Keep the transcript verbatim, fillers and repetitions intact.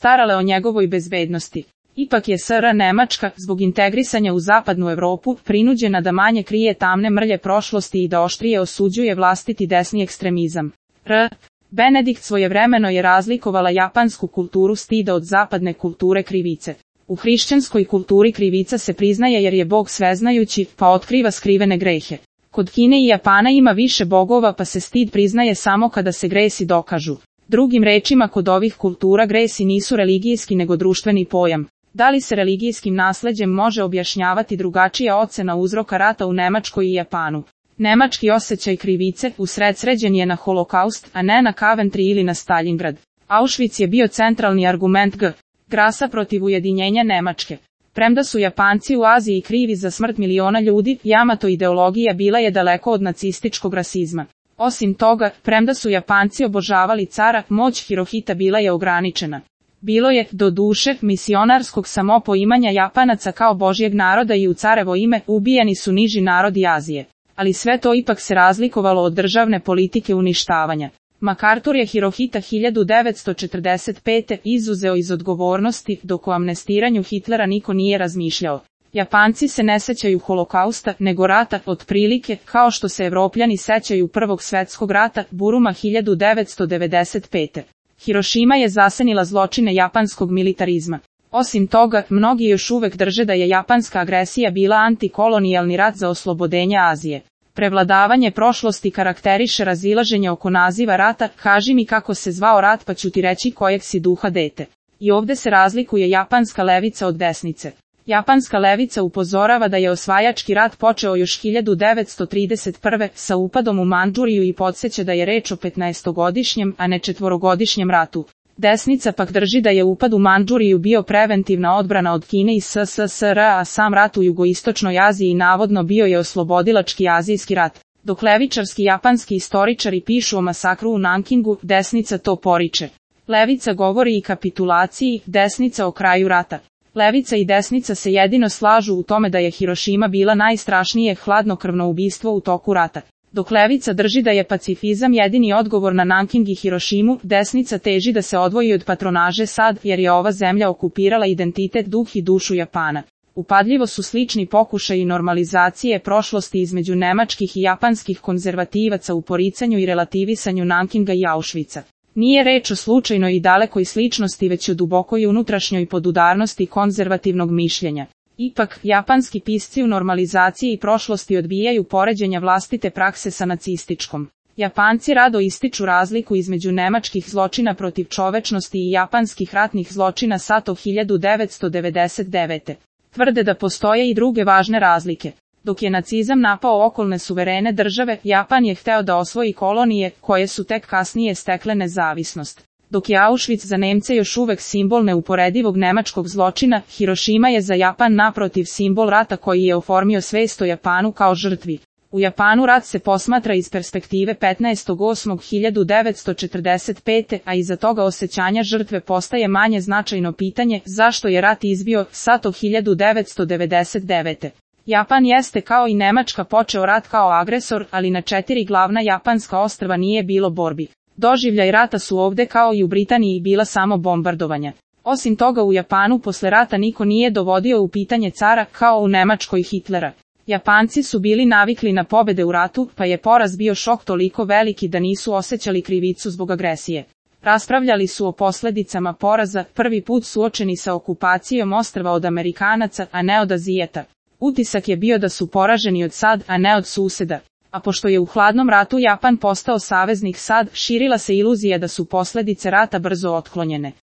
starale o njegovoj bezbednosti. Ipak je S R Nemačka, zbog integrisanja u zapadnu Evropu, prinuđena da manje krije tamne mrlje prošlosti i da oštrije osuđuje vlastiti desni ekstremizam. R. Benedikt svojevremeno je razlikovala japansku kulturu stida od zapadne kulture krivice. U hrišćanskoj kulturi krivica se priznaje jer je Bog sveznajući, pa otkriva skrivene grehe. Kod Kine i Japana ima više bogova pa se stid priznaje samo kada se gresi dokažu. Drugim rečima, kod ovih kultura gresi nisu religijski nego društveni pojam. Da li se religijskim nasleđem može objašnjavati drugačija ocena uzroka rata u Nemačkoj i Japanu? Nemački osjećaj krivice usredsređen je na holokaust, a ne na Coventry ili na Stalingrad. Auschwitz je bio centralni argument G. Grasa protiv ujedinjenja Nemačke. Premda su Japanci u Aziji krivi za smrt miliona ljudi, Yamato ideologija bila je daleko od nacističkog rasizma. Osim toga, premda su Japanci obožavali cara, moć Hirohita bila je ograničena. Bilo je, do duše, misionarskog samopoimanja Japanaca kao božjeg naroda i u carevo ime ubijani su niži narodi Azije. Ali sve to ipak se razlikovalo od državne politike uništavanja. MacArthur je Hirohita hiljadu devetsto četrdeset pete izuzeo iz odgovornosti, dok o amnestiranju Hitlera niko nije razmišljao. Japanci se ne sećaju holokausta, nego rata, otprilike, kao što se Evropljani sećaju Prvog svjetskog rata, Buruma hiljadu devetsto devedeset pete. Hirošima je zasenila zločine japanskog militarizma. Osim toga, mnogi još uvek drže da je japanska agresija bila antikolonijalni rat za oslobodenje Azije. Prevladavanje prošlosti karakteriše razilaženje oko naziva rata, kaži mi kako se zvao rat pa ću ti reći kojeg si duha dete. I ovde se razlikuje japanska levica od desnice. Japanska levica upozorava da je osvajački rat počeo još hiljadu devetsto trideset prve sa upadom u Mandžuriju i podsjeća da je reč o petnaestogodišnjem, a ne četvorogodišnjem ratu. Desnica pak drži da je upad u Mandžuriju bio preventivna odbrana od Kine i S S S R, a sam rat u jugoistočnoj Aziji navodno bio je oslobodilački azijski rat. Dok levičarski japanski istoričari pišu o masakru u Nankingu, desnica to poriče. Levica govori i kapitulaciji, desnica o kraju rata. Levica i desnica se jedino slažu u tome da je Hirošima bila najstrašnije hladnokrvno ubistvo u toku rata. Dok levica drži da je pacifizam jedini odgovor na Nanking i Hirošimu, desnica teži da se odvoji od patronaže sad, jer je ova zemlja okupirala identitet, duh i dušu Japana. Upadljivo su slični pokušaji normalizacije prošlosti između nemačkih i japanskih konzervativaca u poricanju i relativisanju Nankinga i Auschwitza. Nije reč o slučajnoj i dalekoj sličnosti, već o dubokoj unutrašnjoj podudarnosti konzervativnog mišljenja. Ipak, japanski pisci u normalizaciji prošlosti odbijaju poređenja vlastite prakse sa nacističkom. Japanci rado ističu razliku između nemačkih zločina protiv čovečnosti i japanskih ratnih zločina Sato hiljadu devetsto devedeset devete. Tvrde da postoje i druge važne razlike. Dok je nacizam napao okolne suverene države, Japan je hteo da osvoji kolonije, koje su tek kasnije stekle nezavisnost. Dok je Auschwitz za Nemce još uvek simbol neuporedivog nemačkog zločina, Hirošima je za Japan naprotiv simbol rata koji je oformio svest o Japanu kao žrtvi. U Japanu rat se posmatra iz perspektive petnaestog osmog hiljadu devetsto četrdeset pete, a iza toga osjećanja žrtve postaje manje značajno pitanje zašto je rat izbio Sato hiljadu devetsto devedeset devete. Japan jeste kao i Nemačka počeo rat kao agresor, ali na četiri glavna japanska ostrva nije bilo borbi. Doživljaj rata su ovde kao i u Britaniji bila samo bombardovanja. Osim toga u Japanu posle rata niko nije dovodio u pitanje cara kao u Nemačkoj Hitlera. Japanci su bili navikli na pobede u ratu, pa je poraz bio šok toliko veliki da nisu osjećali krivicu zbog agresije. Raspravljali su o posledicama poraza, prvi put suočeni sa okupacijom ostrva od Amerikanaca, a ne od Azijeta. Utisak je bio da su poraženi od sad, a ne od suseda. A pošto je u hladnom ratu Japan postao saveznik sad, širila se iluzija da su posledice rata brzo otklonjene.